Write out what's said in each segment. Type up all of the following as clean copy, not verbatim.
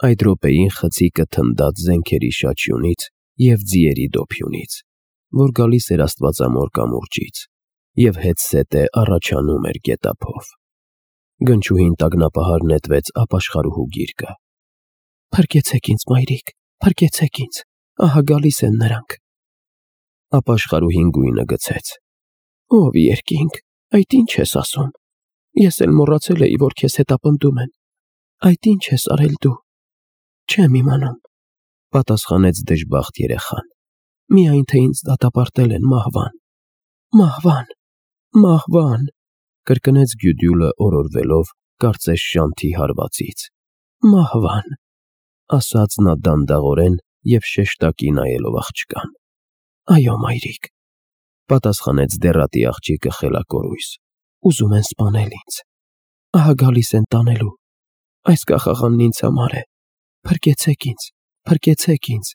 Այդ րոպեին խցիկը թնդաց զենքերի շաչյունից և ձիերի դոփյունից, որ գալիս էր աստվածամոր կամուրջից, և հետզհետե առաջանում էր գետափով։ Գնչուհին տագնապահար նետվեց ապաշխարուհու գիրկը։ «Փրկեցեք ինձ, մայրիկ, փրկեցեք ինձ, ահա գալիս են նրանք»։ Ապաշխարուհին գույնը գցեց։ «Ով երկինք, այդ ինչ ես ասում։ Ես էլ մոռացել էի, որ քեզ հետապնդում են։ Այդ ինչ ես արել դու։ Չեմ իմանում», պատասխանեց դժբախտ երեխան։ «Միայն թե ինձ դատապարտել են մահվան, մահվան, մահվան», կրկնեց Գյուդյուլը օրորվելով, կարծես շանթի հարվածից։ «Մահվան», ասաց նա դանդաղորեն և շեշտակի նայելով աղջկան։ «Այո, մայրիկ», պատասխանեց դեռատի աղջիկը խելակորույս։ «Ուզում են սպանել ինձ։ Ահա գալիս են տանելու։ Այս կախաղանն ինձ համար է։ Փրկեցեք ինձ, փրկեցեք ինձ,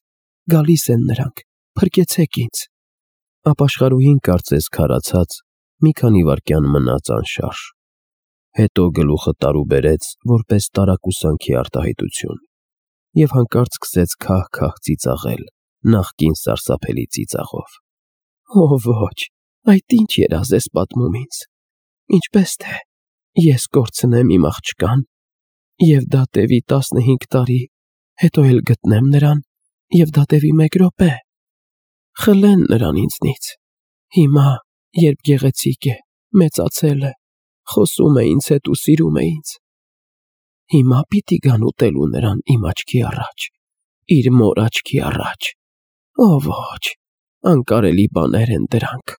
գալիս են նրանք, փրկեցեք ինձ»։ Ապաշխարուհին կարծես քարացած մի քանի վայրկյան մնաց անշարժ։ Հետո գլուխը տարուբերեց որպես տարակուսանքի արտահայտություն և հանկարծ սկսեց քահ-քահ ծիծաղել նախկին սարսափելի ծիծաղով։ «Օ ոչ, այդ ինչ երազ ես պատմում ինձ։ Ինչպես թե ես կորցնեմ իմ աղջկան, և դա տևի 15 տարի, հետո էլ գտնեմ նրան, և դա տևի 1 րոպե։ Խլեն նրան ինձնից։ Հիմա, երբ գեղեցիկ է, մեծացել է, խոսում է ինձ հետ ու սիրում է ինձ, հիմա պիտի գան ուտելու նրան իմ աչքի առաջ, իր մոր աչքի առաջ։ Օ ոչ, անկարելի բաներ են դրանք,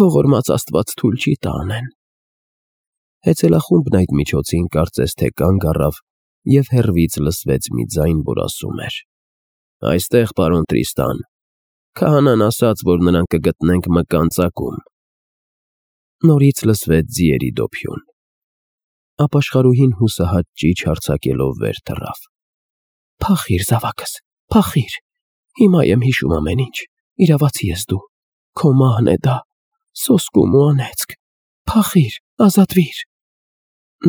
ողորմած Աստված թույլ չի տա անեն»։ Հեծելախումբն այդ միջոցին կարծես թե կանգ առավ և հեռվից լսվեց մի ձայն, որ ասում էր. «Այստեղ, պարոն Տրիստան, քահանան ասաց, որ նրան կգտնենք մկան ծակում»։ Նորից լսվեց ձիերի դոփյուն։ Ապաշխարուհին հուսահատ ճիչ հարձակելով վեր թռավ։ «Փախիր, զավակս, փախիր։ Հիմա եմ հիշում ամեն ինչ։ Իրավացի ես դու։ Քո մահն է դա, սոսկում ու անեծք։ Փախիր, ազատվիր»։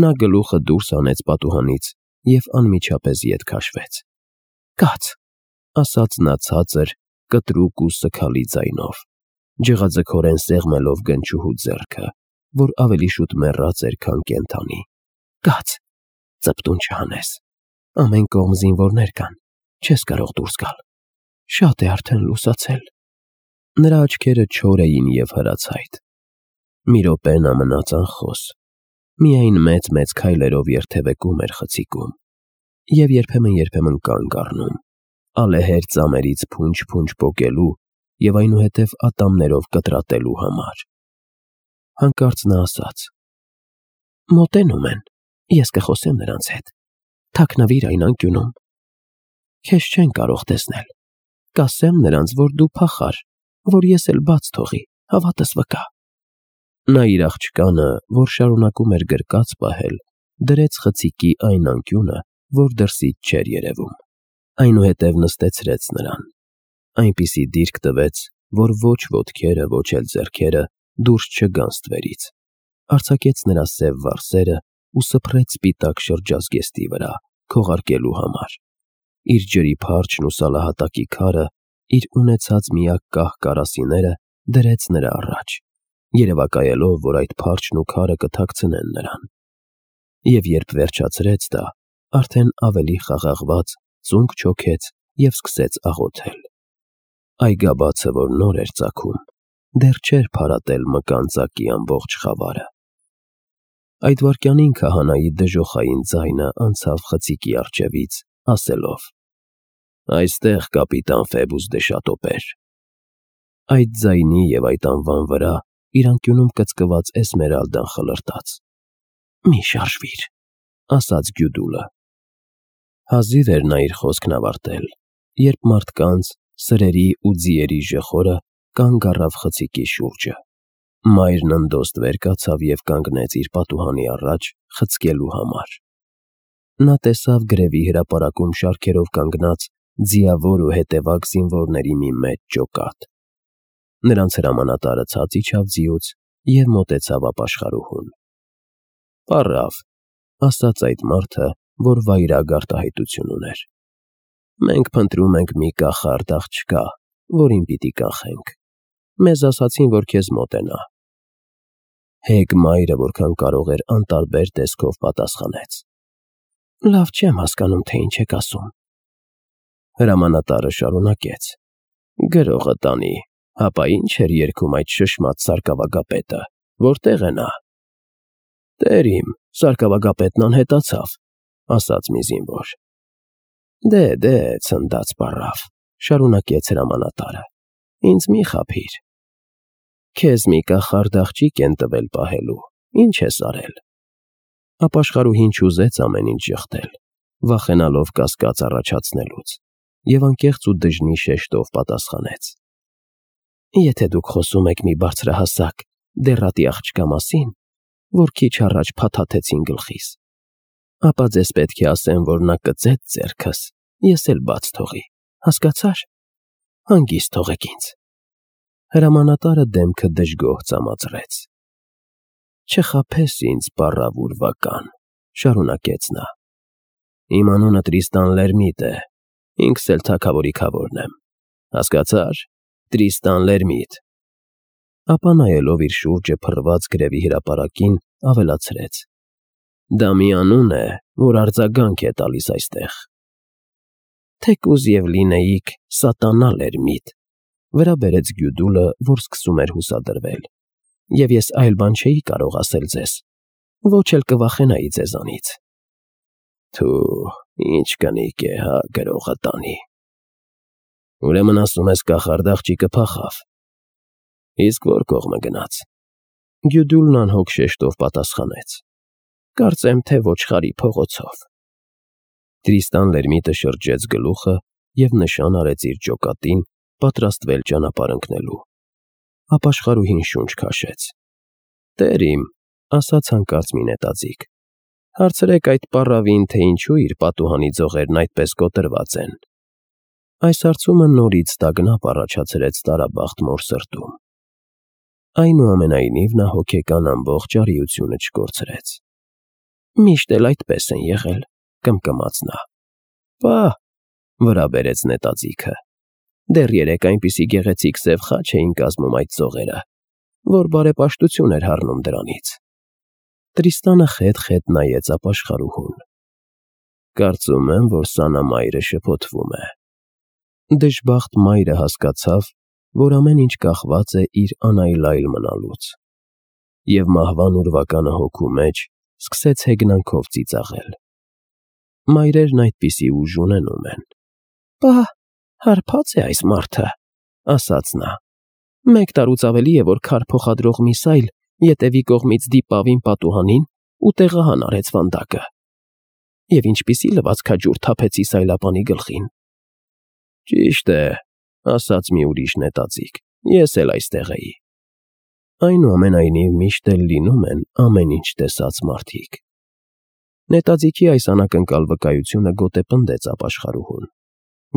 Նա գլուխը դուրս հանեց պատուհանից և անմիջապես ետ քաշվեց։ «Կաց», ասաց նա ցածր, կտրուկ ու սգալի ձայնով, ջղաձգորեն սեղմելով գնչուհու ձեռքը, որ ավելի շուտ մեռած էր, քան կենդանի։ «Կաց, ծպտուն չհանես։ Ամեն կողմ զինվորներ կան, չես կարող դուրս գալ։ Շատ է արդեն լուսացել»։ Նրա աչքերը չոր էին և հրացայտ։ Մի րոպե նա մնաց անխոս, միայն մեծ-մեծ քայլերով երթևեկում էր խցիկում և երբեմն կանգ առնում, ալեհեր ծամերից փունջ-փունջ պոկելու և այնուհետև ատամներով կտրատելու համար։ Հանկարծ նա ասաց. «Մոտենում են, ես կխոսեմ նրանց հետ։ Թաքնվիր այն անկյունում։ Քեզ չեն կարող տեսնել։ Կասեմ նրանց, որ դու փախար, որ ես էլ բաց թողի, հավատս վկա»։ Նա իր աղջկանը, որ շարունակում էր գրկած պահել, դրեց խցիկի այն անկյունը, որ դրսից չէր երևում, այնուհետև նստեցրեց նրան, այնպիսի դիրք տվեց, որ ոչ ոտքերը, ոչ էլ ձեռքերը դուրս չգան ստվերից, արձակեց նրա սև վարսերը ու սփռեց սպիտակ շրջազգեստի վրա, քողարկելու համար։ Իր ջրի փարչն ու սալահատակի քարը, իր ունեցած միակ կահ կարասիները դրեց նրա առաջ, երևակայելով, որ այդ փարչն ու քարը կթաքցնեն նրան։ Եվ երբ վերջացրեց դա, արդեն ավելի խաղաղված ծունկ չոքեց և սկսեց աղոթել։ Այգաբացը, որ նոր էր ծագում, դեռ չէր փարատել մկան ծակի ամբողջ խավարը։ Այդ վայրկյանին քահանայի դժոխային ձայնը անցավ խցիկի առջևից, ասելով. «Այստեղ, կապիտան Ֆեբուս դե Շատոպեր»։ Այդ ձայնի և այդ անվան վրա իր անկյունում կծկված Էսմերալդան խլրտաց։ «Մի շարժվիր», ասաց Գյուդուլը։ Հազիվ էր նա իր խոսքն ավարտել, երբ մարդկանց, սրերի ու ձիերի ժխորը կանգ առավ խցիկի շուրջը։ Մայրն ընդոստ վեր կացավ և կանգնեց իր պատուհանի առաջ խցկելու համար։ Նա տեսավ գրևի հրապարակում շարքերով կանգնած ձիավոր ու հետևակ զինվորների մի մեծ ջոկատ։ Նրանց հրամանատարը ցած իջավ ձիուց և մոտեցավ ապաշխարուհուն։ «Պառավ», ասաց այդ մարդը որ վայրագ արտահայտություն ուներ։ Մենք փնտրում ենք մի կախարդ աղջկա, որին պիտի կանխենք։ Մեզ ասացին, որ քեզ մոտենա։ Հեգ մայրը, որքան կարող էր անտարբեր տեսքով պատասխանեց. Լավ չեմ հասկանում, թե ինչ եք ասում։ Հրամանատարը շարունակեց. Գրողը տանի, հապա ինչ էր երգում այդ շշմած սարկավագապետը, որտեղ է նա։ Տեր իմ, սարկավագապետն անհետացավ, ասաց մի զինվոր։ Դե, ցնդած պառավ, շարունակեց հրամանատարը, ինձ մի խաբիր։ Քեզ մի կախարդ աղջիկ են տվել պահելու, ինչ ես արել։ Ապաշխարուհին չուզեց ամեն ինչ ժխտել, վախենալով կասկած առաջացնելուց, և անկեղծ ու դժնի շեշտով պատասխանեց. Եթե դուք խոսում եք մի բարձրահասակ, դեռատի աղջկա մասին, որ քիչ առաջ փաթաթեցին գլխիս, ապա ձեզ պետք է ասեմ, որ նա կծեց ձեռքս, ես էլ բաց թողի, հասկացար, հանգիստ թողեք ինձ։ Հրամանատարը դեմքը դժգոհ ծամածրեց։ Չխաբես ինձ, պառավ ուրվական, շարունակեց նա։ Իմ անունը Տրիստան Լերմիտ է, ինքս էլ թագավորի քավորն եմ, հասկացար, Տրիստան Լերմիտ։ Ապա նայելով իր շուրջը փռված գրևի հրապարակին, ավելացրեց. Դա մի անուն է, որ արձագանք է տալիս այստեղ։ Թեկուզ և լինեիք սատանա Լերմիտ, վրա բերեց Գյուդուլը, որ սկսում էր հուսադրվել, և ես այլ բան չէի կարող ասել ձեզ, ոչ էլ կվախենայի ձեզանից։ Թու, ինչ կնիկ է, հա, գրողը տանի։ Ուրեմն ասում ես կախարդ աղջիկը փախավ։ Իսկ որ կողմը գնաց։ Գյուդուլն անհոգ շեշտով պատասխանեց. Կարծեմ, թե ոչխարի փողոցով։ Տրիստան Լերմիտը շրջեց գլուխը և նշան արեց իր ջոկատին, պատրաստվել ճանապարհ ընկնելու։ Ապաշխարուհին շունչ քաշեց։ Տեր իմ, ասաց հանկարծ մի նետաձիգ, հարցրեք այդ պառավին, թե ինչու իր պատուհանի ձողերն այդպես կոտրված են։ Այս հարցումը նորից տագնապ առաջացրեց տարաբախտ մոր սրտում։ Այնուամենայնիվ նա հոգեկան ամբողջ արիությունը չկորցրեց։ Միշտ էլ այդպես են եղել, կմկմաց նա։ Պահ, վրա բերեց նետաձիգը։ Դեռ երեկ այնպիսի գեղեցիկ սև խաչ էին կազմում այդ ծողերը, որ բարեպաշտություն էր հառնում դրանից։ Տրիստանը խետ-խետ նայեց ապաշխարուհուն։ Կարծում եմ, որ սանամայրը շփոթվում է։ Դժբախտ մայրը հասկացավ, որ ամեն ինչ կախված է իր անայլայլ մնալուց, և մահվան ուրվականը հոգու մեջ սկսեց հեգնանքով ծիծաղել։ Մայրերն այդպիսի ուժ ունենում են։ Պահ, հարբած է այս մարդը, ասաց նա։ Մեկ տարուց ավելի է, որ քար փոխադրող մի սայլ ետևի կողմից դիպավ իմ պատուհանին ու տեղահան արեց վանդակը։ Եվ ինչպիսի լվացքաջուր թափեցի սայլապանի գլխին։ Ճիշտ է, ասաց մի ուրիշ նետաձիգ, ես էլ այստեղ էի։ Այնուամենայնիվ միշտ էլ լինում են ամեն ինչ տեսած մարդիկ։ Նետաձիգի այս անակնկալ վկայությունը գոտեպնդեց ապաշխարուհուն,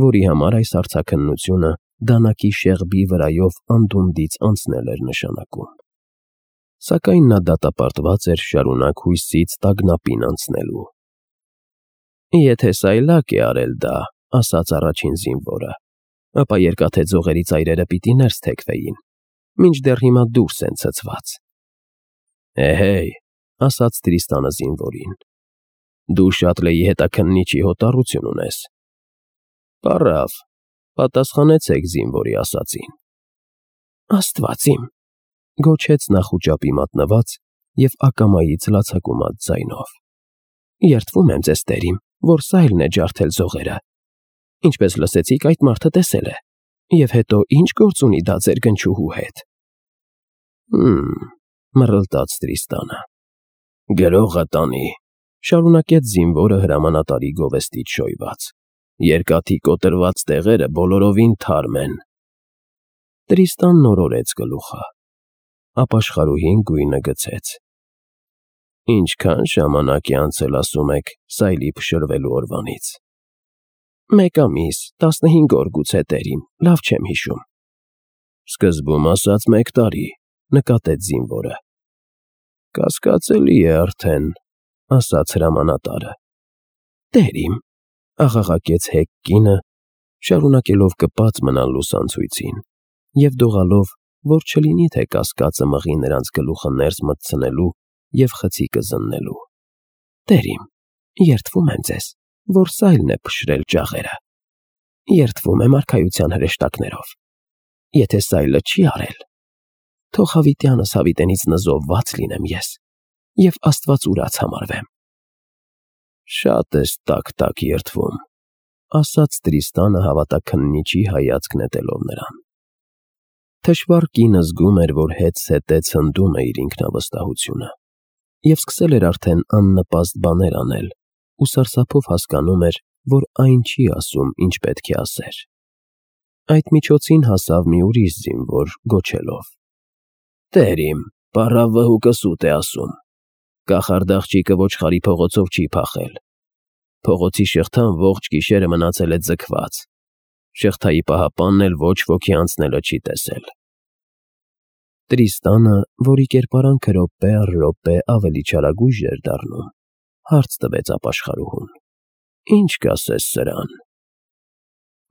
որի համար այս արձաքննությունը դանակի շեղբի վրայով անդունդից անցնել էր նշանակում։ Սակայն նա դատապարտված էր շարունակ հույսից տագնապին անցնելու։ Եթե սայլակ է արել դա, ասաց առաջին զինվորը, ապա երկաթե ձողերի ծայրերը պիտի ներս թեքվեին, մինչդեռ հիմա դուրս են ցցված։ Էհեյ, ասաց Տրիստանը զինվորին, դու շատ լեի հետաքննիչի հոտառություն ունես։ Պառավ, պատասխանեցեք զինվորի ասածին։ Աստված իմ, գոչեց նա խուճապի մատնված և ակամայից լացակումած ձայնով։ Երդվում եմ ձեզ, տերիմ, որ սայլն է ջարդել ձողերը։ Ինչպես լսեցիք, այդ մարդը տեսել է, և հետո ինչ գործ ունի դա ձեր գնչուհու հետ։ Մռլտաց Տրիստանը։ Գրողը տանի, շարունակեց զինվորը հրամանատարի գովեստից շոյված։ Երկաթի կոտրված տեղերը բոլորովին թարմ են։ Տրիստանն օրորեց գլուխը։ Ապաշխարուհին գույնը գցեց։ Ինչքան ժամանակ է անցել, ասում եք, սայլի փշրվելու օրվանից։ 1 ամիս, 15 օր գուցե, տերիմ, լավ չեմ հիշում։ Սկզբում ասաց 1 տարի, նկատեց զինվորը։ Կասկածելի է արդեն, ասաց հրամանատարը։ Տեր իմ, աղաղակեց հեգ կինը, շարունակելով կպած մնալ լուսանցույցին, և դողալով, որ չլինի թե կասկածը մղի նրանց գլուխը ներս մտցնելու և խցիկը զննելու։ Տեր իմ, երդվում եմ ձեզ, որ սայլն է փշրել ջաղերը, երդվում եմ արքայության հրեշտակներով, եթե սայլը չի արել, թող հավիտյանս հավիտենից նզովված լինեմ ես և Աստված ուրաց համարվեմ։ Շատ ես տաք երդվում, ասաց Տրիստանը հավատաքննիչի հայացք նետելով նրան։ Թշվառ կինը զգում էր, որ հետզհետե ցնդում է իր ինքնավստահությունը, և սկսել էր արդեն աննպաստ բաներ անել ու սարսափով հասկանում էր, որ այն չի ասում, ինչ պետք է ասեր։ Այդ միջոցին հասավ մի ուրիշ զինվոր, գոչելով. «Տեր իմ, պառավ վհուկը սուտ է ասում, կախարդաղջիկը ոչխարի փողոցով չի փախել, փողոցի շղթան ողջ գիշերը մնացել է ձգված, շղթայի պահապանն էլ ոչ ոքի անցնելը չի տեսել»։ Տրիստանը, որի կերպարանքը րոպե առ րոպե ավելի չարագույժ էր դառնում, հարց տվեց ապաշխարուհուն. «Ինչ կասես սրան»։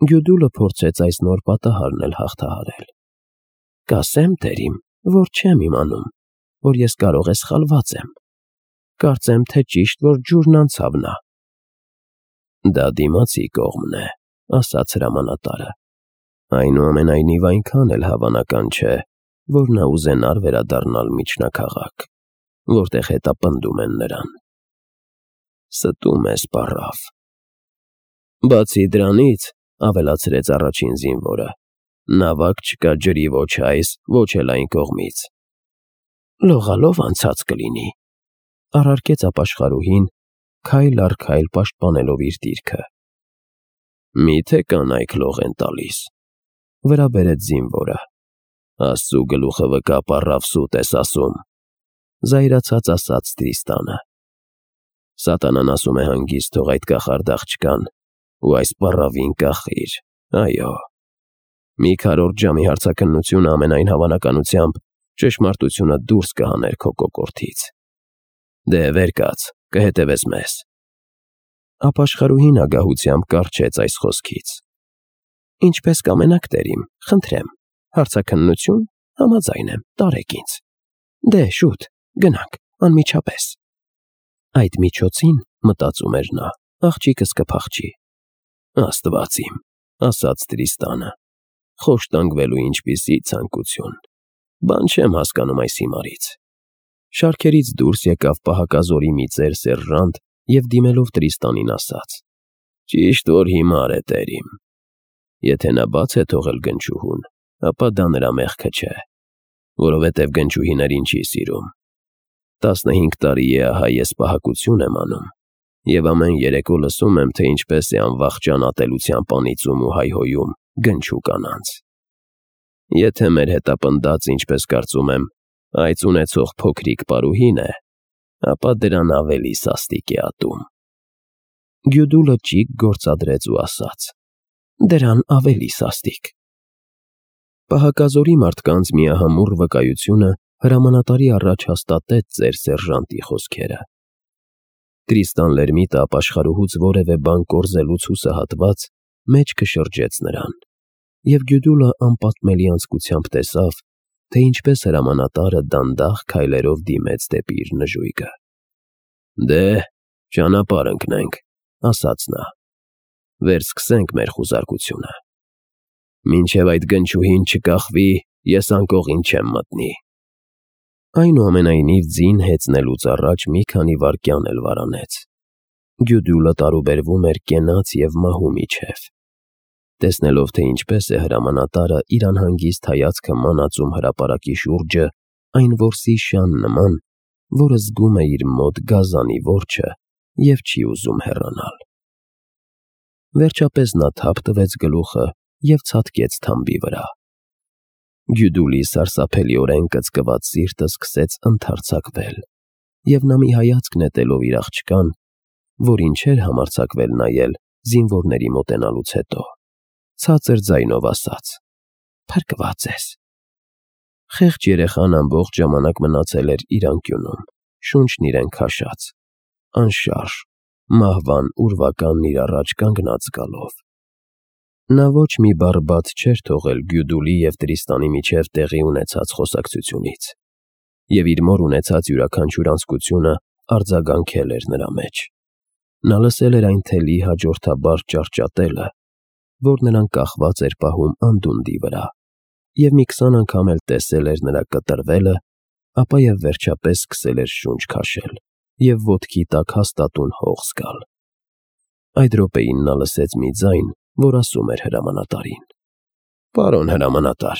Գյուդուլը փորձեց այս նոր պատահարն էլ հաղթահարել։ «Կասեմ, տեր իմ, որ չեմ իմանում, որ ես կարող է սխալված եմ, կարծեմ, թե ճիշտ, որ ջուրն անցավ նա»։ «Դա դիմացի կողմն է», ասաց հրամանատարը, «այնուամենայնիվ այնքան էլ հավանական չէ, որ նա ուզենար վերադառնալ միջնաքաղաք, որտեղ հետապնդում են նրան։ Ստում ես, պառավ»։ «Բացի դրանից, ավելացրեց առաջին զինվորը, նավակ չկա ջրի ոչ այս, ոչ էլ այն կողմից»։ «Լողալով անցած կլինի», առարկեց ապաշխարուհին, քայլ առ քայլ պաշտպանելով իր դիրքը։ «Մի՞թե կանայք լող են տալիս», վրա բերեց զինվորը։ «Աստծու գլուխը վկա, պառավ, սուտ ես ասում», զայրացած ասաց Տրիստանը։ «Սատանան ասում է հանգիստ թող այդ կախարդ աղջկան ու այս պառավին կախիր, այո։ Մի քառորդ ժամի հարցաքննությունը ամենայն հավանականությամբ ճշմարտությունը դուրս կհաներ քո կոկորդից։ Դե վեր կաց, կհետևես մեզ»։ Ապաշխարուհին ագահությամբ կառչեց այս խոսքից։ «Ինչպես կամենաք, տեր իմ, խնդրեմ, հարցաքննություն, համաձայն եմ, տարեք ինձ։ Դե շուտ, գնանք, անմիջապես»։ Այդ միջոցին, մտածում էր նա, աղջիկս կփախչի։ «Աստված իմ», ասաց Տրիստանը, «խոշտանգվելու ինչպիսի ցանկություն, բան չեմ հասկանում այս հիմարից»։ Շարքերից դուրս եկավ պահակազորի մի ծեր սերժանտ և դիմելով Տրիստանին ասաց. «Ճիշտ որ հիմար է, տեր իմ։ Եթե նա բաց է թողել գնչուհուն, ապա դա նրա մեղքը չէ, որովհետև գնչուհիներին չի սիրում։ 15 տարի է ահա ես պահակություն եմ անում, և ամեն երեկո լսում եմ, թե ինչպես է անվախճան ատելությամբ անիծում ու հայհոյում գնչու կանանց։ Եթե մեր հետապնդած, ինչպես կարծում եմ, այծ ունեցող փոքրիկ պարուհին է, ապա դրան ավելի սաստիկ է ատում»։ Գյուդուլը ճիգ գործադրեց ու ասաց. «Դրան ավելի սաստիկ»։ Պահակազորի մարդկանց միահամուռ վկայությունը հրամանատարի առաջ հաստատեց ծեր սերժանտի խոսքերը։ Տրիստան Լերմիտը ապաշխարուհուց որևէ բան կորզելուց հուսահատված մեջքը շրջեց նրան, և Գյուդուլը անպատմելի անձկությամբ տեսավ, թե ինչպես հրամանատարը դանդաղ քայլերով դիմեց դեպի իր նժույգը։ «Դե, ճանապարհ ընկնենք», ասաց նա։ «Վերսկսենք մեր խուզարկությունը։ Մինչև այդ գնչուհին չկախվի, ես անկողին չեմ մտնի»։ Այնուամենայնիվ ձին հեծնելուց առաջ մի քանի վայրկյան էլ վարանեց։ Գյուդուլը տարուբերվում էր կենաց և մահու միջև։ Տեսնելով, թե ինչպես է հրամանատարը իր անհանգիստ հայացքը մանածում հրապարակի շուրջը այն որսի շան նման, որը զգում է իր մոտ գազանի որջը և չի ուզում հեռանալ։ Վերջապես նա թափ տվեց գլուխը և ցատկեց թամբի վրա։ Գյուդուլի սարսափելիորեն կծկված սիրտը սկսեց ընդարձակվել, և նա մի հայացք նետելով իր աղջկան, որին չէր համարձակվել նայել զինվորների մոտենալուց հետո, ցածր ձայնով ասաց. «Փրկված ես»։ Խեղճ երեխան ամբողջ ժամանակ մնացել էր իր անկյունում, շունչն իրեն քաշած, անշարժ, մահվան ուրվականն իր առաջ կանգնած գալով։ Նա ոչ մի բառ բաց չէր թողել Գյուդուլի և Տրիստանի միջև տեղի ունեցած խոսակցությունից, և իր մոր ունեցած յուրաքանչյուր անձկությունը արձագանքել էր նրա մեջ։ Նա լսել էր այն թելի հաջորդաբար ճարճատելը, որ նրան կախված էր պահում անդունդի վրա, և մի 20 անգամ էլ տեսել էր նրա կտրվելը, ապա և վերջապես սկսել էր շունչ քաշել և ոտքի տակ հաստատուն հող զգալ։ Այդ րոպեին նա լսեց մի ձայն, որ ասում էր հրամանատարին. «Պարոն հրամանատար,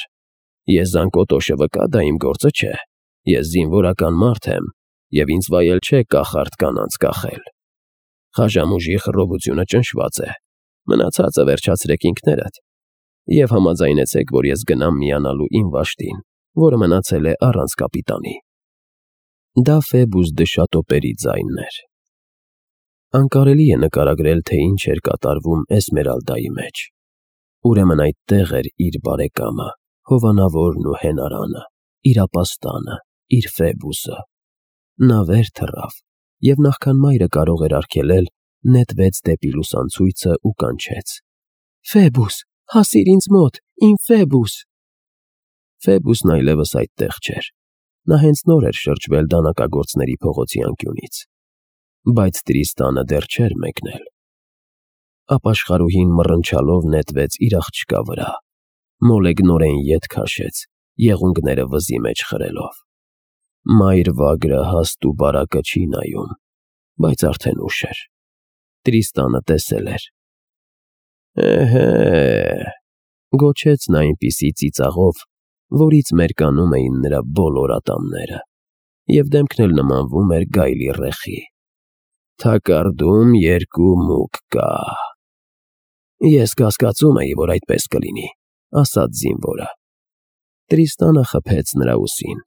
ես զանգոտոշը վկա, դա իմ գործը չէ, ես զինվորական մարդ եմ, և ինձ վայել չէ կախարդ կանանց կախել։ Խաժամուժի խռովությունը ճնշված է, մնացածը վերջացրեք ինքներդ, և համաձայնեցեք, որ ես գնամ միանալու իմ վաշտին, որը մնացել է առանց կապիտանի»։ Դա Ֆեբուս Դշատոպերի ձայնն էր։ Անկարելի է նկարագրել, թե ինչ էր կատարվում Էսմերալդայի մեջ։ Ուրեմն այդտեղ էր իր բարեկամը, հովանավորն ու հենարանը, իր ապաստանը, իր Ֆեբուսը։ Նա վեր թռավ, և նախքան մայրը կարող էր արգելել, նետվեց դեպի լուսանցույցը ու կանչեց. «Ֆեբուս, հասիր ինձ մոտ, իմ Ֆեբուս»։ Ֆեբուսն այլևս այդտեղ չէր։ Նա հենց նոր էր շրջվել դանակագործների փողոցի անկյունից։ Բայց Տրիստանը դեռ չէր մեկնել։ Ապաշխարուհին մռնչալով նետվեց իր աղջկա վրա, մոլեգնորեն ետ քաշեց, եղունգները վզի մեջ խրելով։ Մայր վագրը հաստ ու բարակը չի նայում, բայց արդեն ուշ էր։ Տրիստանը տեսել էր։ «Էհե՜», գոչեց նա այնպիսի ծիծաղով, որից մերկանում էին նրա բոլոր ատամները, և դեմքն էլ նմանվում էր գայլի ռեխի։ «Թակարդում 2 մուկ կա»։ «Ես կասկածում էի, որ այդպես կլինի», ասաց զինվորը։ Տրիստանը խփեց նրա ուսին։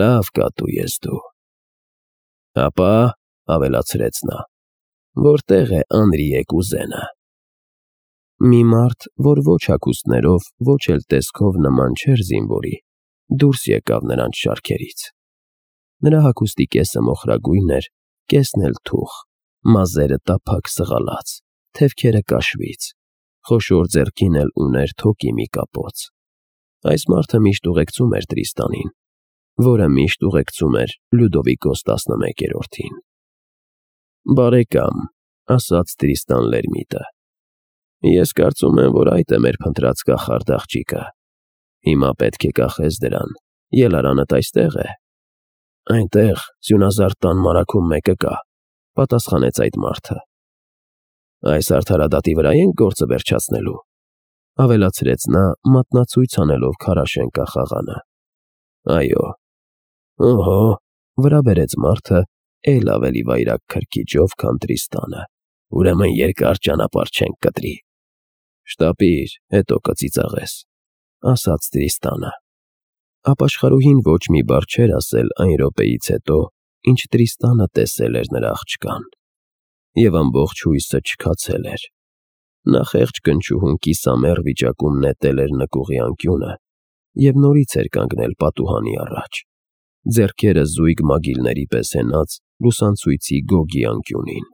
«Լավ կատու ես դու»։ «Ապա», ավելացրեց նա, «որտե՞ղ է Անրիե կուզենը»։ Մի մարդ, որ ոչ հագուստներով, ոչ էլ տեսքով նման չէր զինվորի, դուրս եկավ նրանց շարքերից։ Նրա հագուստի կեսը մոխրագույն էր, կեսն էլ թուխ, մազերը տափակ սղալած, թևքերը կաշվից, խոշոր ձեռքին էլ ուներ թոկի մի կապոց։ Այս մարդը միշտ ուղեկցում էր Տրիստանին, որը միշտ ուղեկցում էր Լյուդովիկոս 11-րդին։ «Բարեկամ», ասաց Տրիստան Լերմիտը, «ես կարծում եմ, որ այդ է մեր փնտրած կախարդ աղջիկը։ Հիմա պետք է կախես դրան, ելարանդ այստե՞ղ է»։ «Այնտեղ, Սյունազարդ տան մարագում մեկը կա», պատասխանեց այդ մարդը։ «Այս արդարադատի վրա ենք գործը վերջացնելու», ավելացրեց նա, մատնացույց անելով քարաշեն կախաղանը։ «Այո»։ «Օհո», վրա բերեց մարդը էլ ավելի վայրագ քրքիջով, քան Տրիստանը, «ուրեմն երկար ճանապարհ չենք կտրի»։ «Շտապիր, հետո կծիծաղես», ասաց Տրիստանը։ Ապաշխարուհին ոչ մի բառ չէր ասել այն րոպեից հետո, ինչ Տրիստանը տեսել էր նրա աղջկան, և ամբողջ հույսը չքացել էր։ Նա խեղճ կնճուհուն կիսամեռ վիճակում նետել էր նկուղի անկյունը և նորից էր կանգնել պատուհանի առաջ, ձեռքերը զույգ մագիլների պես հենած լուսանցույցի գոգի անկյունին։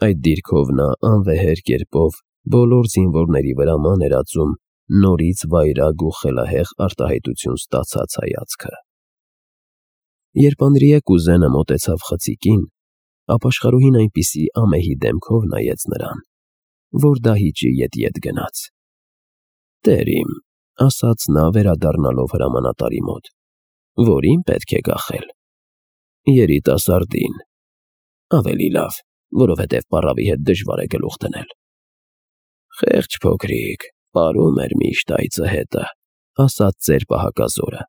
Այդ դիրքով նա անվեհեր կերպով բոլոր զինվորների վրա ման էր ածում նորից վայրագ ու խելահեղ արտահայտություն ստացած հայացքը։ Երբ Անրիե կուզենը մոտեցավ խցիկին, ապաշխարուհին այնպիսի ամեհի դեմքով նայեց նրան, որ դահիճի ետ գնաց։ «Տեր իմ», ասաց նա վերադառնալով հրամանատարի մոտ, «որին պետք է կախել»։ «Երիտասարդին»։ «Ավելի լավ, որովհետև պառավի հետ դժվար է գլուխ դնել»։ «Խեղճ փոքրիկ, պարում էր միշտ այծը հետը», ասաց ծեր պահակազորը։